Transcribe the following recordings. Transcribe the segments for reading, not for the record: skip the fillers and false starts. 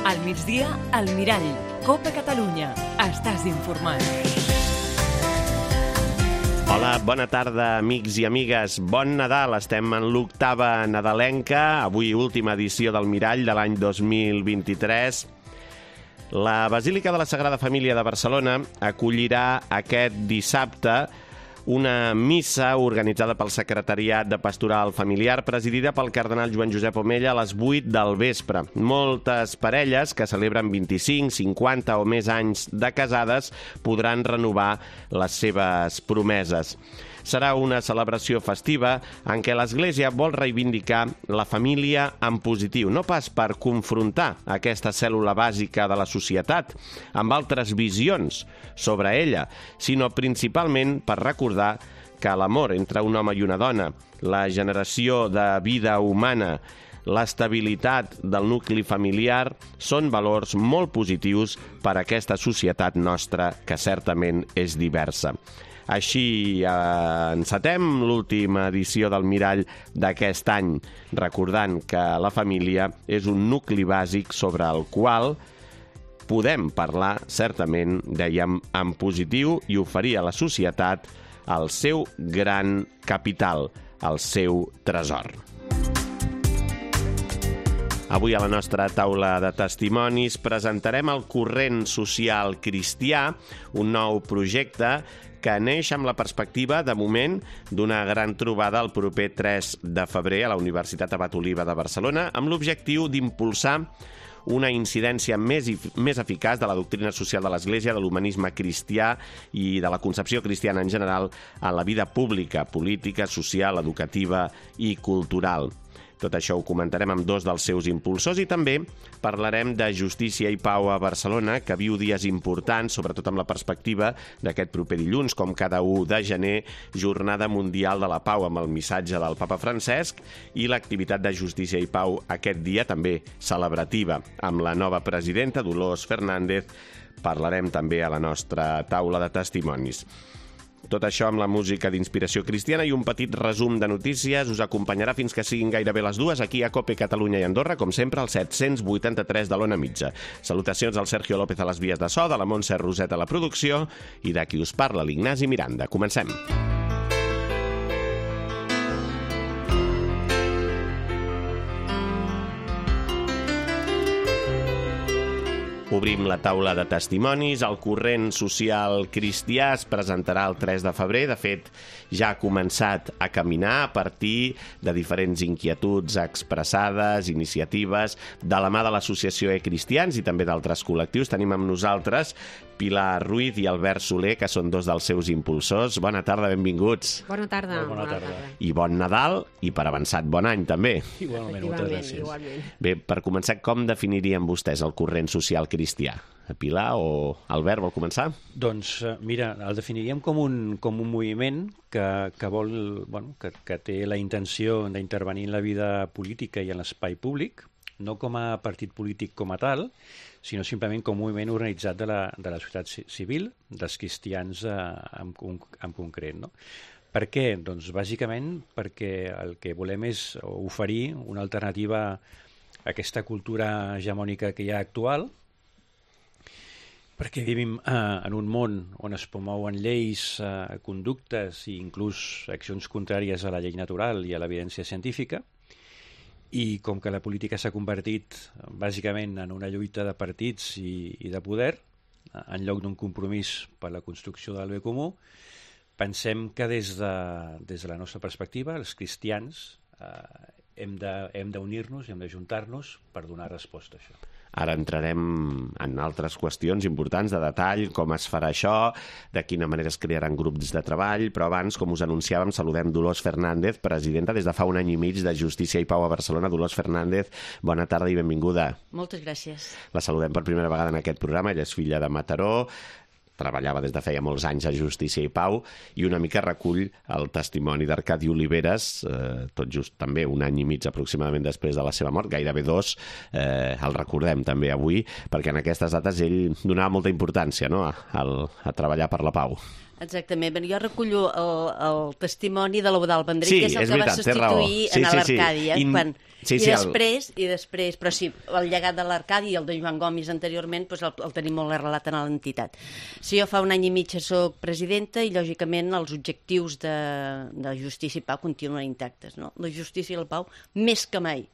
Al migdia, al Mirall. Copa Catalunya. Estàs informat. Hola, bona tarda, amics i amigues. Bon Nadal, estem en l'octava nadalenca, avui última edició del Mirall de l'any 2023. La Basílica de la Sagrada Família de Barcelona acollirà aquest dissabte una missa organitzada pel Secretariat de Pastoral Familiar, presidida pel cardenal Joan Josep Omella a les 8 del vespre. Moltes parelles que celebren 25, 50 o més anys de casades podran renovar les seves promeses. Serà una celebració festiva en què l'Església vol reivindicar la família en positiu, no pas per confrontar aquesta cèl·lula bàsica de la societat amb altres visions sobre ella, sinó principalment per recordar que l'amor entre un home i una dona, la generació de vida humana, l'estabilitat del nucli familiar són valors molt positius per a aquesta societat nostra que certament és diversa. Així encetem l'última edició del Mirall d'aquest any, recordant que la família és un nucli bàsic sobre el qual podem parlar, certament, dèiem, en positiu i oferir a la societat el seu gran capital, el seu tresor. Avui a la nostra taula de testimonis presentarem el Corrent Social Cristià, un nou projecte que neix amb la perspectiva, de moment, d'una gran trobada el proper 3 de febrer a la Universitat Abat Oliba de Barcelona, amb l'objectiu d'impulsar una incidència més eficaç de la doctrina social de l'Església, de l'humanisme cristià i de la concepció cristiana en general en la vida pública, política, social, educativa i cultural. Tot això ho comentarem amb dos dels seus impulsors i també parlarem de Justícia i Pau a Barcelona, que viu dies importants, sobretot amb la perspectiva d'aquest proper dilluns, com cada 1 de gener, Jornada Mundial de la Pau, amb el missatge del Papa Francesc i l'activitat de Justícia i Pau aquest dia, també celebrativa, amb la nova presidenta, Dolors Fernández. Parlarem també a la nostra taula de testimonis. Tot això amb la música d'inspiració cristiana i un petit resum de notícies us acompanyarà fins que siguin gairebé les 2 aquí a Cope Catalunya i Andorra, com sempre, al 783 de l'Ona Mitja. Salutacions al Sergio López a les vies de so, de la Montse Roset a la producció i de qui us parla, l'Ignasi Miranda. Comencem. Obrim la taula de testimonis. El Corrent Social Cristià es presentarà el 3 de febrer. De fet, ja ha començat a caminar a partir de diferents inquietuds expressades, iniciatives, de la mà de l'Associació Cristians i també d'altres col·lectius. Tenim amb nosaltres Pilar Ruiz i Albert Soler, que són dos dels seus impulsors. Bona tarda, benvinguts. Bona tarda. Bona tarda. I bon Nadal, i per avançat bon any, també. Igualment, moltes gràcies. Igualment. Bé, per començar, com definirien vostès el Corrent Social Cristià? Pilar o Albert, vol començar? Doncs, mira, el definiríem com un moviment que vol, que té la intenció d'intervenir en la vida política i en l'espai públic, no com a partit polític com a tal, sinó simplement com un moviment organitzat de la societat civil, dels cristians en concret, no? Per què? Doncs bàsicament perquè el que volem és oferir una alternativa a aquesta cultura hegemònica que hi ha actual, perquè vivim en un món on es promouen lleis, conductes i inclús accions contràries a la llei natural i a l'evidència científica, i com que la política s'ha convertit bàsicament en una lluita de partits i de poder, en lloc d'un compromís per la construcció del bé comú, pensem que des de la nostra perspectiva, els cristians, hem d'unir-nos i hem d'ajuntar-nos per donar resposta a això. Ara entrarem en altres qüestions importants de detall, com es farà això, de quina manera es crearan grups de treball, però abans, com us anunciàvem, saludem Dolors Fernández, presidenta des de fa 1 any i mig de Justícia i Pau a Barcelona. Dolors Fernández, bona tarda i benvinguda. Moltes gràcies. La saludem per primera vegada en aquest programa. Ella és filla de Mataró, treballava des de feia molts anys a Justícia i Pau i una mica recull el testimoni d'Arcadi Oliveres, tot just també 1 any i mig aproximadament després de la seva mort, gairebé 2, el recordem també avui, perquè en aquestes dates ell donava molta importància, no?, a treballar per la pau. Exactament. Bé, jo recullo el testimoni de l'Eudald Vendrell, Sí, que és el és que va veritat, té raó. substituir Sí, en sí, sí. l'Arcàdia. Sí, I després, però sí, el llegat de l'Arcàdia i el de Joan Gomis anteriorment doncs el tenim molt arrelat en l'entitat. Sí, jo fa un any i mig soc presidenta i, lògicament, els objectius de justícia i pau continuen intactes, no? La justícia i la pau més que mai.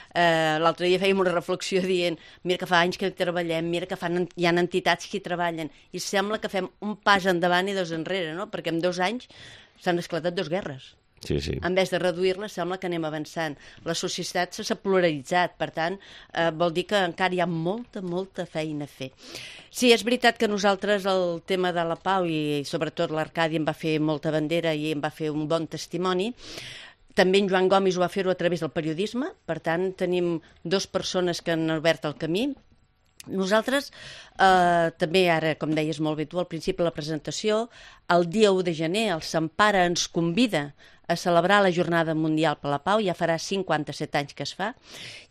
L'altre dia fèiem una reflexió dient mira que fa anys que treballem, mira que hi ha entitats que hi treballen i sembla que fem un pas endavant i dos enrere, no? Perquè en 2 anys s'han esclatat 2 guerres. Sí, sí. En vez de reduir-les, sembla que anem avançant. La societat s'ha polaritzat, per tant, vol dir que encara hi ha molta feina a fer. Sí, és veritat que nosaltres el tema de la pau i sobretot l'Arcadi em va fer molta bandera i em va fer un bon testimoni. També en Joan Gomis ho va fer-ho a través del periodisme, per tant, tenim 2 persones que han obert el camí. Nosaltres, també ara, com deies molt bé tu, al principi de la presentació, el dia 1 de gener, el Sant Pare ens convida a celebrar la Jornada Mundial per la Pau, ja farà 57 anys que es fa,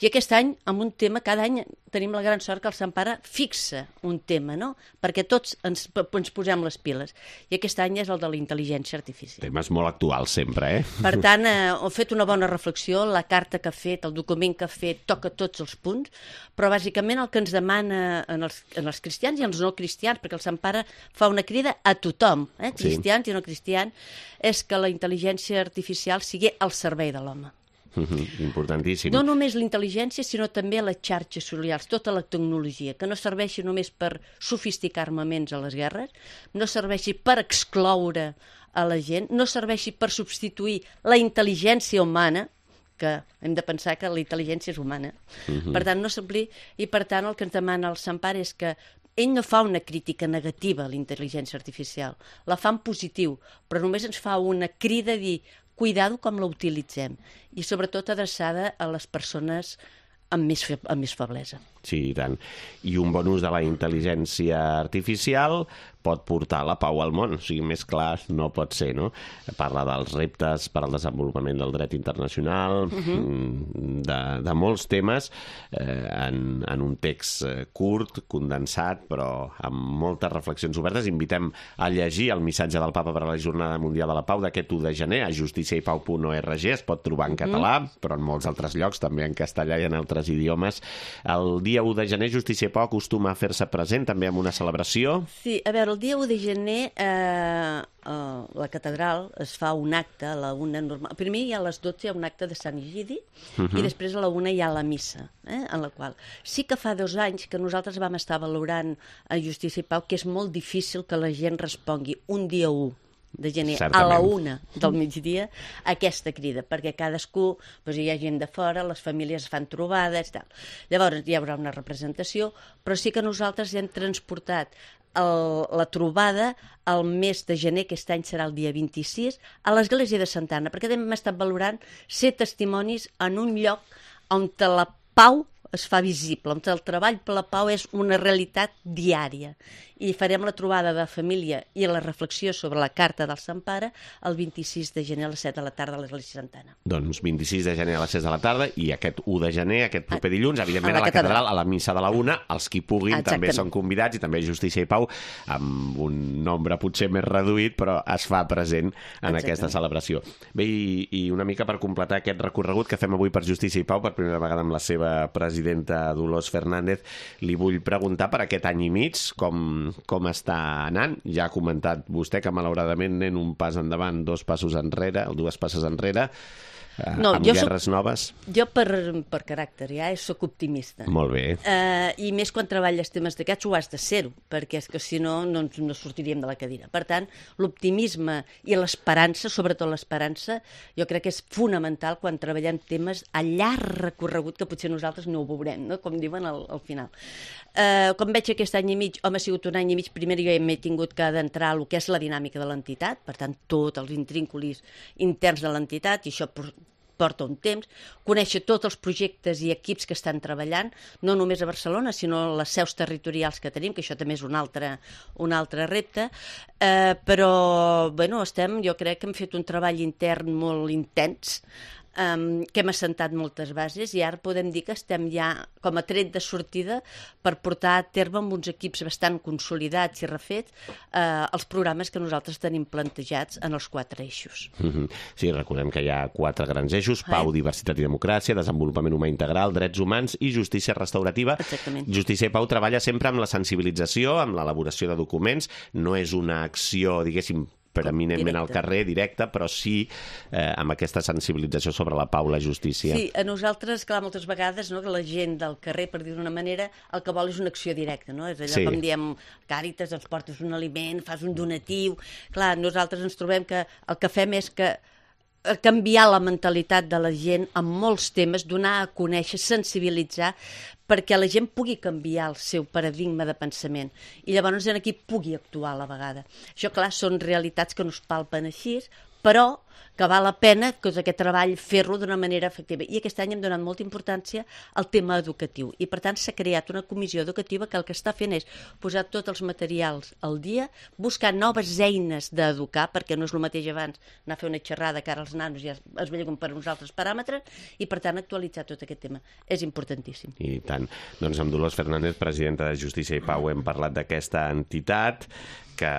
i aquest any, amb un tema, cada any tenim la gran sort que el Sant Pare fixa un tema, no? Perquè tots ens posem les piles, i aquest any és el de la intel·ligència artificial. Temes molt actuals sempre, Per tant, he fet una bona reflexió, la carta que ha fet, el document que ha fet, toca tots els punts, però bàsicament el que ens demana en els cristians i els no cristians, perquè el Sant Pare fa una crida a tothom, cristians i no cristians, és que la intel·ligència artificial sigui al servei de l'home. Importantíssim. No només la intel·ligència, sinó també les xarxes socials, tota la tecnologia, que no serveixi només per sofisticar armaments a les guerres, no serveixi per excloure a la gent, no serveixi per substituir la intel·ligència humana, que hem de pensar que la intel·ligència és humana. Per tant, no s'ompli, i per tant el que ens demana el Sant Pare és que ell no fa una crítica negativa a la intel·ligència artificial, la fa en positiu, però només ens fa una crida a dir cuidado com la utilitzem, i sobretot adreçada a les persones amb més feblesa. Sí, i tant. I un bon ús de la intel·ligència artificial pot portar la pau al món. O sigui, més clar no pot ser, no? Parla dels reptes per al desenvolupament del dret internacional, de molts temes, en un text curt, condensat, però amb moltes reflexions obertes. Invitem a llegir el missatge del Papa per a la Jornada Mundial de la Pau d'aquest 1 de gener a justiciaipau.org. Es pot trobar en català, però en molts altres llocs, també en castellà i en altres idiomes. El dia 1 de gener, Justícia i Pau acostuma a fer-se present també amb una celebració. Sí, a veure, el dia 1 de gener a la catedral es fa un acte a la 1 normal. Primer hi ha a les 12 hi ha un acte de Sant Egidi i després a la 1 hi ha la missa, en la qual sí que fa 2 anys que nosaltres vam estar valorant a Justícia i Pau que és molt difícil que la gent respongui un dia 1 de gener a la 1 del migdia aquesta crida, perquè cadascú doncs hi ha gent de fora, les famílies fan trobades i tal. Llavors hi haurà una representació, però sí que nosaltres hem transportat la trobada al mes de gener, aquest any serà el dia 26, a l'església de Santa Anna, perquè hem estat valorant ser testimonis en un lloc on la pau es fa visible, on el treball per la pau és una realitat diària. I farem la trobada de família i la reflexió sobre la carta del Sant Pare el 26 de gener a les 7 de la tarda a l'Església Santa Anna. Doncs 26 de gener a les 6 de la tarda i aquest 1 de gener, aquest proper dilluns, evidentment a la catedral, a la missa de la 1, els qui puguin també són convidats i també Justícia i Pau, amb un nombre potser més reduït, però es fa present en aquesta celebració. Bé, i una mica per completar aquest recorregut que fem avui per Justícia i Pau, per primera vegada amb la seva presidenta Dolors Fernández, li vull preguntar per aquest any i mig com està anant. Ja ha comentat vostè que malauradament anem un pas endavant, 2 passos enrere, o 2 passes enrere, amb guerres noves. Jo per caràcter ja soc optimista. Molt bé. I més quan treballes temes d'aquests ho has de ser-ho, perquè és que si no, no sortiríem de la cadira. Per tant, l'optimisme i l'esperança, sobretot l'esperança, jo crec que és fonamental quan treballem temes a llarg recorregut que potser nosaltres no ho veurem, no? Com diuen al final. Com veig aquest any i mig, ha sigut un any i mig, primer jo ja m'he tingut que adentrar el que és la dinàmica de l'entitat, per tant, tots els intrínculis interns de l'entitat, i això porta un temps, conèixer tots els projectes i equips que estan treballant, no només a Barcelona, sinó les seus territorials que tenim, que això també és un altre repte, però, bueno, jo crec que hem fet un treball intern molt intens, que hem assentat moltes bases i ara podem dir que estem ja com a tret de sortida per portar a terme amb uns equips bastant consolidats i refets els programes que nosaltres tenim plantejats en els 4 eixos. Sí, recordem que hi ha 4 grans eixos: pau, diversitat i democràcia, desenvolupament humà integral, drets humans i justícia restaurativa. Exactament. Justícia i Pau treballa sempre amb la sensibilització, amb l'elaboració de documents. No és una acció, diguéssim, preeminentment al carrer, directa, però sí amb aquesta sensibilització sobre la pau, la justícia. Sí, a nosaltres, clar, moltes vegades, no, que la gent del carrer, per dir d'una manera, el que vol és una acció directa, no? És allò com diem, Càritas, ens portes un aliment, fas un donatiu. Clar, nosaltres ens trobem que el que fem és que canviar la mentalitat de la gent en molts temes, donar a conèixer, sensibilitzar, perquè la gent pugui canviar el seu paradigma de pensament i llavors en aquí pugui actuar a la vegada. Això, clar, són realitats que no es palpen així, però que val la pena que aquest treball fer-lo d'una manera efectiva. I aquest any hem donat molta importància al tema educatiu i, per tant, s'ha creat una comissió educativa que el que està fent és posar tots els materials al dia, buscar noves eines d'educar, perquè no és el mateix abans anar a fer una xerrada que ara els nanos ja es veuen per uns altres paràmetres i, per tant, actualitzar tot aquest tema. És importantíssim. I tant. Doncs amb Dolors Fernández, presidenta de Justícia i Pau, hem parlat d'aquesta entitat que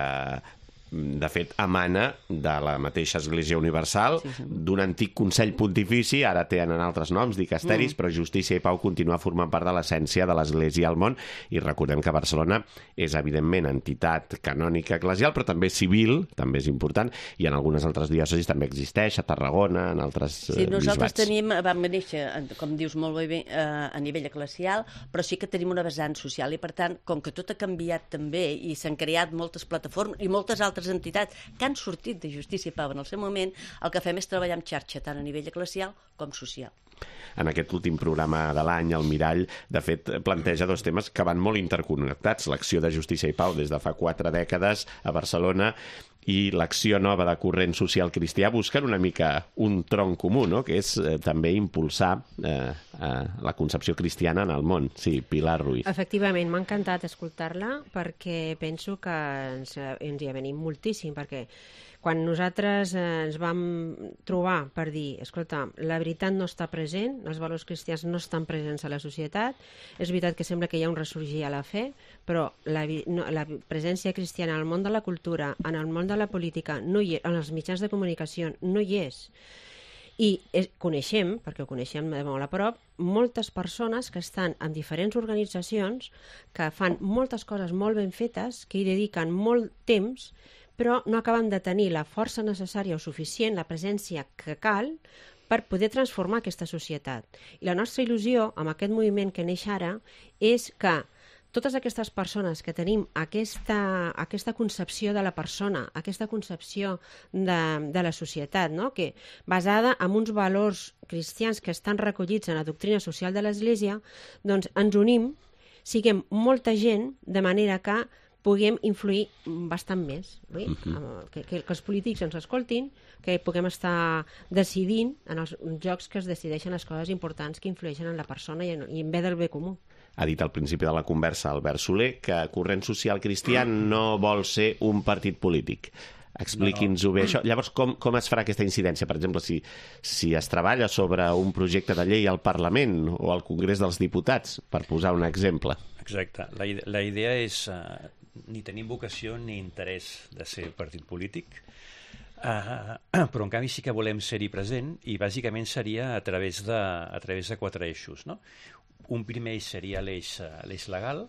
de fet, emana de la mateixa Església Universal, d'un antic Consell Pontifici, ara tenen altres noms, dicasteris, però Justícia i Pau continua formant part de l'essència de l'Església al món, i recordem que Barcelona és, evidentment, entitat canònica eclesial, però també civil, també és important, i en algunes altres diòcesis també existeix, a Tarragona, en altres bisbats. Sí, nosaltres vam néixer, com dius molt bé, a nivell eclesial, però sí que tenim una vessant social, i per tant, com que tot ha canviat també, i s'han creat moltes plataformes i moltes altres entitats que han sortit de Justícia i Pau en el seu moment, el que fem és treballar en xarxa, tant a nivell eclesial com social. En aquest últim programa de l'any, el Mirall, de fet, planteja 2 temes que van molt interconnectats: l'acció de Justícia i Pau des de fa 4 dècades a Barcelona i l'acció nova de Corrent Social Cristià busquen una mica un tronc comú, no? Que és també impulsar la concepció cristiana en el món. Sí, Pilar Ruiz. Efectivament, m'ha encantat escoltar-la perquè penso que ens hi avenim moltíssim, perquè quan nosaltres ens vam trobar per dir, escolta, la veritat no està present, els valors cristians no estan presents a la societat, és veritat que sembla que hi ha un ressorgir a la fe, però la presència cristiana en el món de la cultura, en el món de la política, no hi és, en els mitjans de comunicació, no hi és. I coneixem, perquè ho coneixem de molt a prop, moltes persones que estan en diferents organitzacions, que fan moltes coses molt ben fetes, que hi dediquen molt temps, però no acaben de tenir la força necessària o suficient, la presència que cal, per poder transformar aquesta societat. I la nostra il·lusió amb aquest moviment que neix ara és que totes aquestes persones que tenim aquesta concepció de la persona, aquesta concepció de la societat, no? Que basada en uns valors cristians que estan recollits en la doctrina social de l'Església, doncs ens unim, siguem molta gent, de manera que puguem influir bastant més, que els polítics ens escoltin, que puguem estar decidint en els jocs que es decideixen les coses importants que influeixen en la persona i en bé del bé comú. Ha dit al principi de la conversa Albert Soler que Corrent Social Cristià no vol ser un partit polític. Expliqui'ns-ho bé, això. Llavors, com es farà aquesta incidència? Per exemple, si es treballa sobre un projecte de llei al Parlament o al Congrés dels Diputats, per posar un exemple. Exacte. La idea és ni tenir vocació ni interès de ser partit polític, però en canvi sí que volem ser-hi present, i bàsicament seria a través de 4 eixos, no? Un primer eix seria l'eix legal.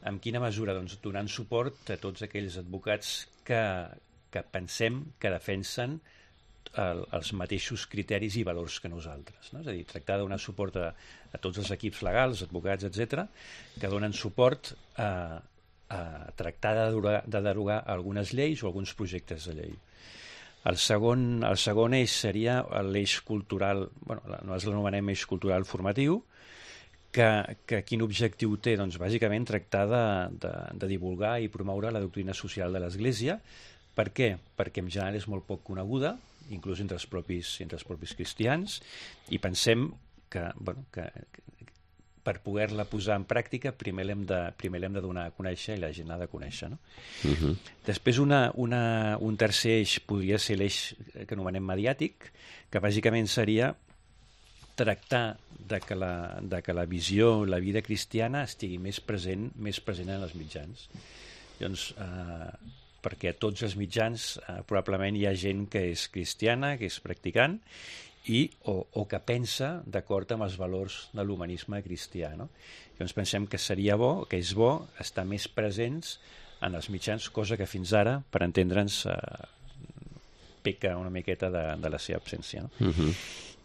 En quina mesura? Doncs donant suport a tots aquells advocats que pensem que defensen els mateixos criteris i valors que nosaltres, no? És a dir, tractar de donar suport a tots els equips legals, advocats, etc., que donen suport a tractar de derogar algunes lleis o alguns projectes de llei. El segon eix seria l'eix cultural, nosaltres l'anomenem eix cultural formatiu, que quin objectiu té? Doncs bàsicament tractar de divulgar i promoure la doctrina social de l'Església. Per què? Perquè en general és molt poc coneguda, inclús entre els propis cristians, i pensem que per poder-la posar en pràctica primer l'hem de donar a conèixer i la gent l'ha de conèixer, no? Després un tercer eix podria ser l'eix que anomenem mediàtic, que bàsicament seria tractar de que la visió, la vida cristiana estigui més present en els mitjans. Llavors, perquè a tots els mitjans probablement hi ha gent que és cristiana, que és practicant, o que pensa d'acord amb els valors de l'humanisme cristià, no? Llavors pensem que seria bo, que és bo, estar més presents en els mitjans, cosa que fins ara, per entendre'ns, peca una miqueta de la seva absència, no?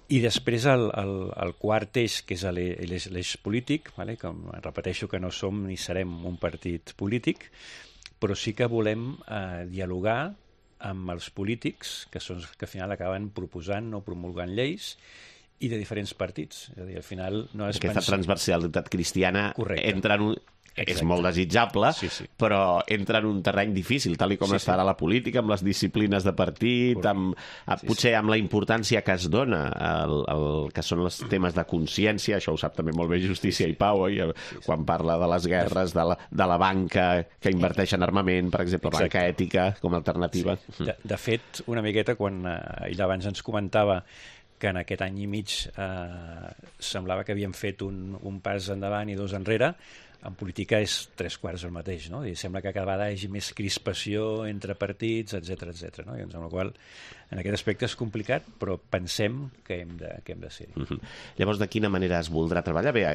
I després el quart eix, que és l'eix polític, vale? Com repeteixo que no som ni serem un partit polític, però sí que volem dialogar amb els polítics, que són els que al final acaben proposant o promulgant lleis, i de diferents partits. És a dir, al final no és aquesta transversalitat cristiana entra en un... Exacte. És molt desitjable, sí. però entra en un terreny difícil, tal com està ara la política, amb les disciplines de partit, potser amb la importància que es dona el que són els temes de consciència, això ho sap també molt bé Justícia i Pau, quan parla de les guerres, de la banca que inverteix en armament, per exemple, banca ètica com a alternativa. Sí. De fet, una miqueta, quan ell abans ens comentava que en aquest any i mig semblava que havíem fet un pas endavant i dos enrere, en política és 3/4 el mateix, no? I sembla que cada vegada hi hagi més crispació entre partits, etc, no? I amb la qual en aquest aspecte és complicat, però pensem que hem de ser-hi. Llavors, de quina manera es voldrà treballar? Bé,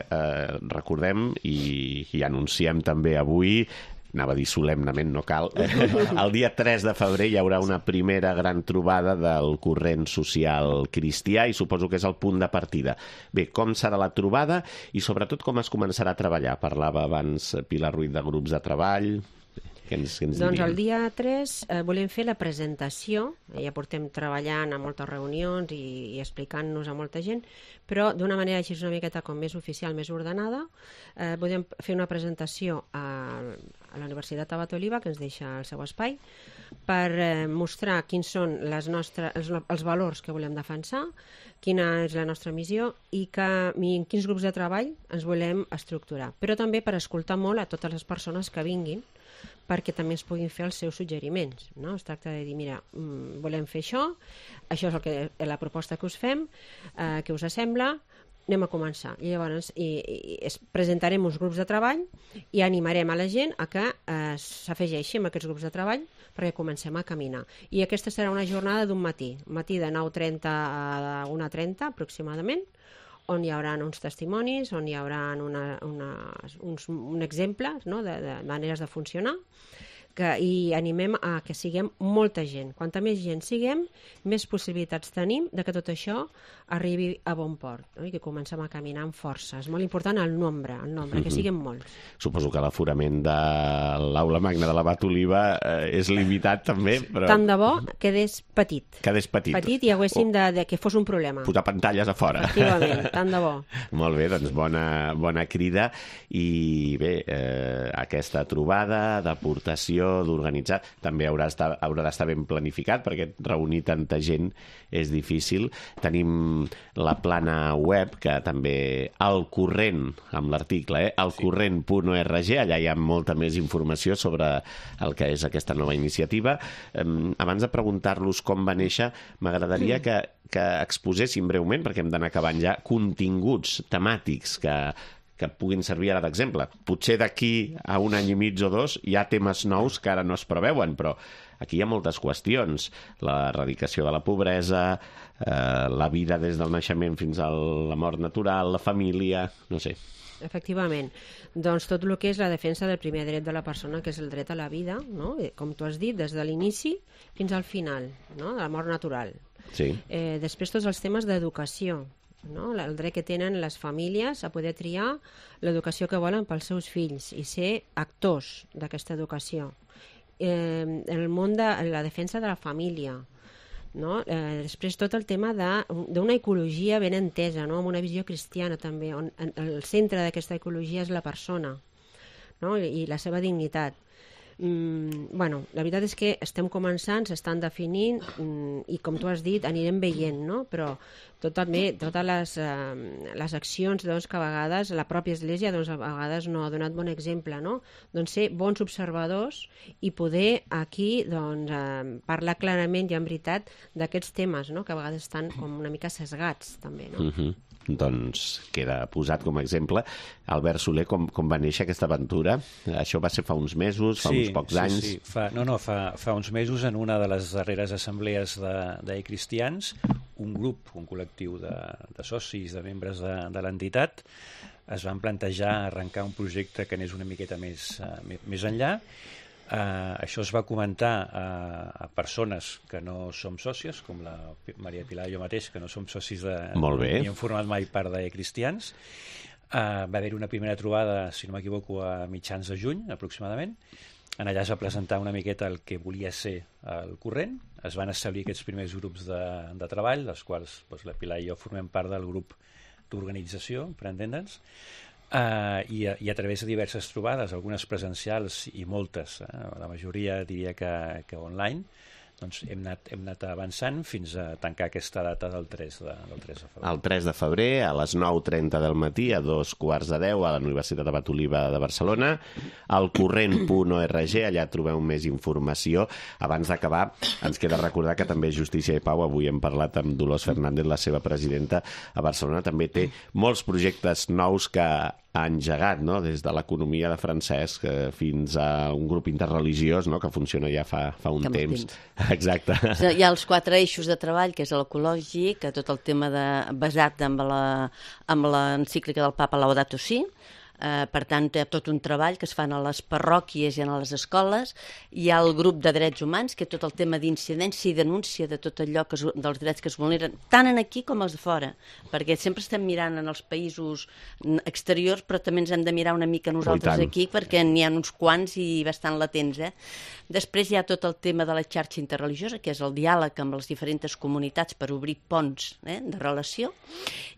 recordem i anunciem també avui, anava a dir solemnament, no cal. El dia 3 de febrer hi haurà una primera gran trobada del corrent social cristià i suposo que és el punt de partida. Bé, com serà la trobada i sobretot com es començarà a treballar? Parlava abans Pilar Ruiz de grups de treball. Què ens doncs el dia 3 volem fer la presentació, ja portem treballant a moltes reunions i explicant-nos a molta gent, però d'una manera així una miqueta com més oficial, més ordenada. Volem fer una presentació a la Universitat Abat Oliba, que ens deixa el seu espai, per mostrar quins són els valors que volem defensar, quina és la nostra missió i en quins grups de treball ens volem estructurar. Però també per escoltar molt a totes les persones que vinguin, perquè també ens puguin fer els seus suggeriments, no? Es tracta de dir, mira, volem fer això és la proposta que us fem, què us sembla, anem a començar. I llavors presentarem uns grups de treball i animarem a la gent a que s'afegeixi a aquests grups de treball perquè comencem a caminar. I aquesta serà una jornada d'un matí de 9:30 a 1:30 aproximadament, on hi haurà uns testimonis, on hi haurà un exemple, no?, de maneres de funcionar, i animem a que siguem molta gent. Quanta més gent siguem, més possibilitats tenim de que tot això arribi a bon port, no? I que comencem a caminar amb força. És molt important el nombre, que siguem molts. Suposo que l'aforament de l'aula magna de l'Abat Oliba és limitat també, però... Tant de bo quedés petit. Quedés petit. Petit i haguéssim de que fos un problema. Posar pantalles a fora. Efectivament, tant de bo. Molt bé, doncs bona crida. I bé, aquesta trobada d'aportació, d'organitzar, també haurà d'estar ben planificat, perquè reunir tanta gent és difícil. Tenim la plana web, que també al corrent, amb l'article, alcorrent.org, allà hi ha molta més informació sobre el que és aquesta nova iniciativa. Abans de preguntar-los com va néixer, m'agradaria que exposessin breument, perquè hem d'anar acabant ja, continguts temàtics que puguin servir ara d'exemple. Potser d'aquí a un any i mig o dos hi ha temes nous que ara no es preveuen, però aquí hi ha moltes qüestions. L'erradicació de la pobresa, la vida des del naixement fins a la mort natural, la família, no sé. Efectivament. Doncs tot el que és la defensa del primer dret de la persona, que és el dret a la vida, no? Com tu has dit, des de l'inici fins al final, no?, de la mort natural. Sí. Després tots els temes d'educació, no? El dret que tenen les famílies a poder triar l'educació que volen pels seus fills i ser actors d'aquesta educació. El món de la defensa de la família, no? Després tot el tema d'una ecologia ben entesa, no?, amb una visió cristiana també, on el centre d'aquesta ecologia és la persona, no?, i la seva dignitat. Bueno, la veritat és que estem començant, s'estan definint i, com tu has dit, anirem veient, no? Però totes les accions doncs, que a vegades la pròpia Església doncs, a vegades no ha donat bon exemple, no? Doncs ser bons observadors i poder aquí doncs, parlar clarament i en veritat d'aquests temes, no? Que a vegades estan com una mica sesgats també, no? Doncs queda posat com a exemple. Albert Soler, com va néixer aquesta aventura? Això va ser fa uns mesos, fa uns pocs anys? Sí. Fa uns mesos, en una de les darreres assemblees de cristians, un grup, un col·lectiu de socis, de membres de l'entitat, es van plantejar arrencar un projecte que anés una miqueta més enllà. Això es va comentar a persones que no som sòcies, com la Maria Pilar i jo mateix, que no som socis ni hem format mai part de cristians. Va haver una primera trobada, si no m'equivoco, a mitjans de juny, aproximadament. En allà es va presentar una miqueta el que volia ser el corrent. Es van establir aquests primers grups de treball, dels quals doncs, la Pilar i jo formem part del grup d'organització, per entendre'ns. I a través de diverses trobades, algunes presencials i moltes, la majoria diria que online, doncs hem anat avançant fins a tancar aquesta data del 3 de febrer. El 3 de febrer, a les 9:30 del matí, a 9:45, a la Universitat Abat Oliba de Barcelona, al corrent.org, allà trobeu més informació. Abans d'acabar, ens queda recordar que també Justícia i Pau, avui hem parlat amb Dolors Fernández, la seva presidenta a Barcelona, també té molts projectes nous que ha engegat, no? Des de l'economia de Francesc fins a un grup interreligiós, no? Que funciona ja fa un temps. Exacte. Hi ha els 4 eixos de treball, que és l'ecològic, tot el tema basat amb l'encíclica del Papa Laudato Si. Per tant, hi ha tot un treball que es fan a les parròquies i a les escoles. Hi ha el grup de drets humans, que tot el tema d'incidència i denúncia de tot allò dels drets que es vulneren, tant en aquí com els de fora, perquè sempre estem mirant en els països exteriors, però també ens hem de mirar una mica nosaltres aquí, perquè n'hi ha uns quants i bastant latents. Després hi ha tot el tema de la xarxa interreligiosa, que és el diàleg amb les diferents comunitats per obrir ponts de relació,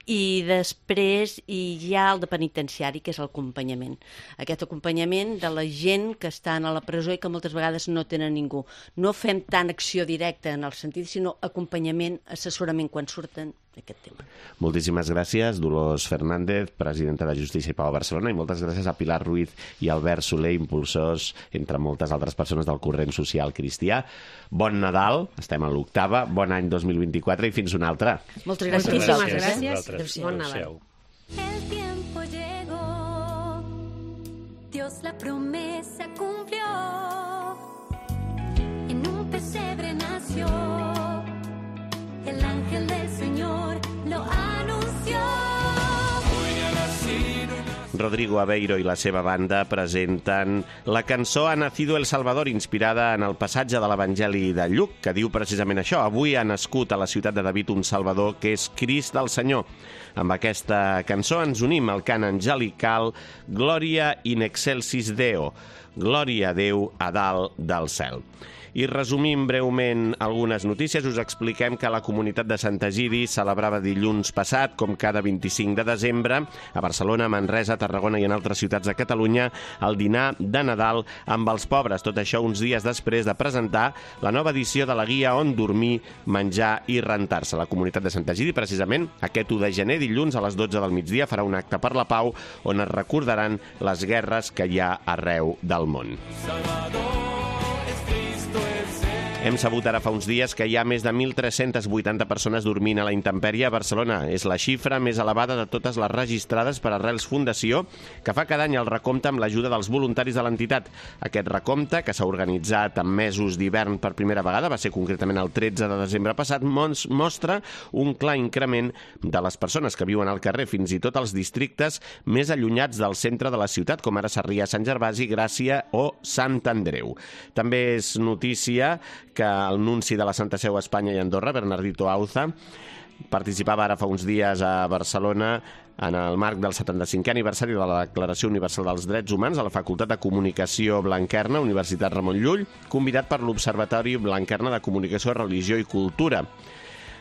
i després hi ha el de penitenciari, que és l'acompanyament. Aquest acompanyament de la gent que estan a la presó i que moltes vegades no tenen ningú. No fem tant acció directa en el sentit, sinó acompanyament, assessorament quan surten d'aquest tema. Moltíssimes gràcies, Dolors Fernández, presidenta de Justícia i Pau a Barcelona, i moltes gràcies a Pilar Ruiz i Albert Soler, impulsors, entre moltes altres persones del corrent social cristià. Bon Nadal, estem a l'octava, bon any 2024 i fins una altra. Moltes gràcies. Moltíssimes gràcies. Bon Nadal. El tiempo llegó, Dios la promesa cumplió, en un pesebre nació, el ángel del Señor lo anunció. Rodrigo Aveiro i la seva banda presenten la cançó Ha nacido el Salvador, inspirada en el passatge de l'Evangeli de Lluc, que diu precisament això. Avui ha nascut a la ciutat de David un Salvador, que és Crist el Senyor. Amb aquesta cançó ens unim al cant angelical Gloria in excelsis Deo, Glòria a Déu a dalt del cel. I resumim breument algunes notícies. Us expliquem que la comunitat de Sant Egidi celebrava dilluns passat, com cada 25 de desembre, a Barcelona, Manresa, Tarragona i en altres ciutats de Catalunya, el dinar de Nadal amb els pobres. Tot això uns dies després de presentar la nova edició de la guia On dormir, menjar i rentar-se. La comunitat de Sant Egidi, precisament, aquest 1 de gener, dilluns, a les 12 del migdia, farà un acte per la pau on es recordaran les guerres que hi ha arreu del món. Hem sabut ara fa uns dies que hi ha més de 1.380 persones dormint a la intempèrie a Barcelona. És la xifra més elevada de totes les registrades per Arrels Fundació, que fa cada any el recompte amb l'ajuda dels voluntaris de l'entitat. Aquest recompte, que s'ha organitzat en mesos d'hivern per primera vegada, va ser concretament el 13 de desembre passat, mostra un clar increment de les persones que viuen al carrer, fins i tot als districtes més allunyats del centre de la ciutat, com ara Sarrià, Sant Gervasi, Gràcia o Sant Andreu. També és notícia que el nunci de la Santa Seu a Espanya i Andorra, Bernardito Auza, participava ara fa uns dies a Barcelona en el marc del 75è aniversari de la Declaració Universal dels Drets Humans a la Facultat de Comunicació Blanquerna, Universitat Ramon Llull, convidat per l'Observatori Blanquerna de Comunicació, Religió i Cultura.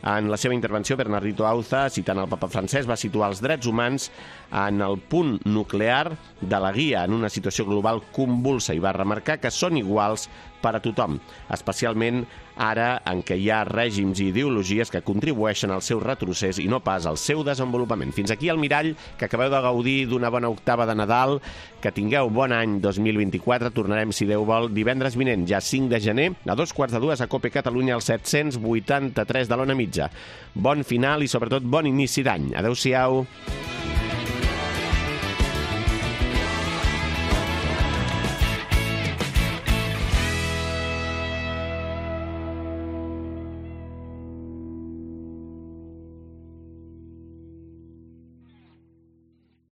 En la seva intervenció, Bernardito Auza, citant el papa francès, va situar els drets humans en el punt nuclear de la guia en una situació global convulsa i va remarcar que són iguals per a tothom, especialment ara en què hi ha règims i ideologies que contribueixen al seu retrocés i no pas al seu desenvolupament. Fins aquí el Mirall, que acabeu de gaudir d'una bona octava de Nadal, que tingueu bon any 2024, tornarem, si Déu vol, divendres vinent, ja 5 de gener, a 2:45 a Cope Catalunya, al 783 de l'Ona Mitja. Bon final i sobretot bon inici d'any. Adéu-siau.